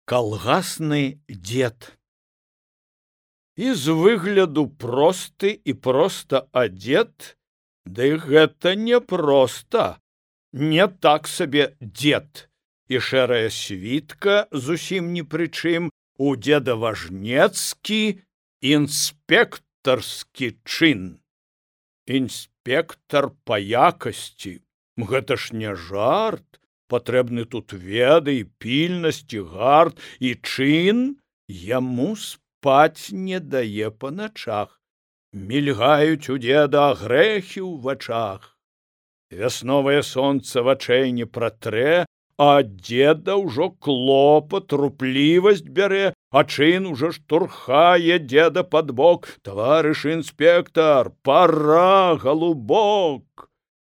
Калгасны дзед. І з выгляду просты і проста адзет, ды гэта не проста, не так сабе дзед. І шэрая світка зусім ні пры чым, у дзеда важнецкі інспектарскі чын. Інспектар па якасці, гэта ж не жарт. Патрэбны тут веды, пільнасць і гарт, і чын яму спаць не дае па начах. Мільгаюць у дзеда грэхі ў вачах. Вясновае сонца вачэй не пратрэ, а дзеда ўжо клопат, руплівасць бярэ, а чын ужо штурхае дзеда пад бок. Таварыш інспектар, пара, галубок!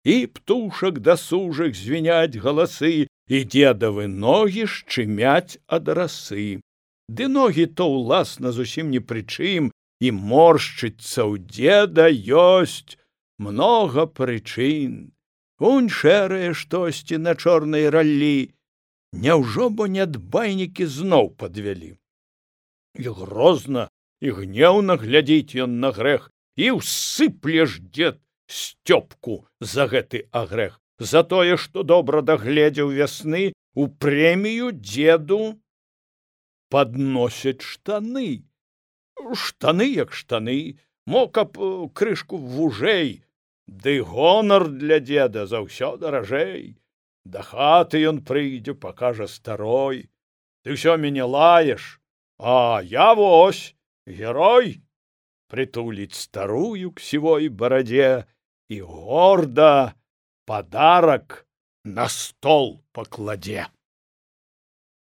І птушак дасужых звіняць галасы, і дзедавы ногі шчымяць ад расы. Ды ногі то ўласна зусім ні пры чым, і моршчыцца ў дзеда ёсць многа прычын. Унь шэрае штосьці на чорнай раллі. Няўжо бо нядбайнікі зноў падвялі? І грозна, і гнеўна глядзіць ён на грэх, і ўсыпле ж дзед сцёпку за гэты агрэх. За тое, што добра дагледзеў вясны, у прэмію дзеду падносяць штаны. Штаны як штаны, мо каб крышку вужэй, ды гонар для дзеда заўсё даражэй. Да хаты ён прыйдзе, пакажа старой: ты ўсё мяне лаеш, а я вось герой. Прытуліць старую к сівой барадзе і горда падарак на стол пакладзе.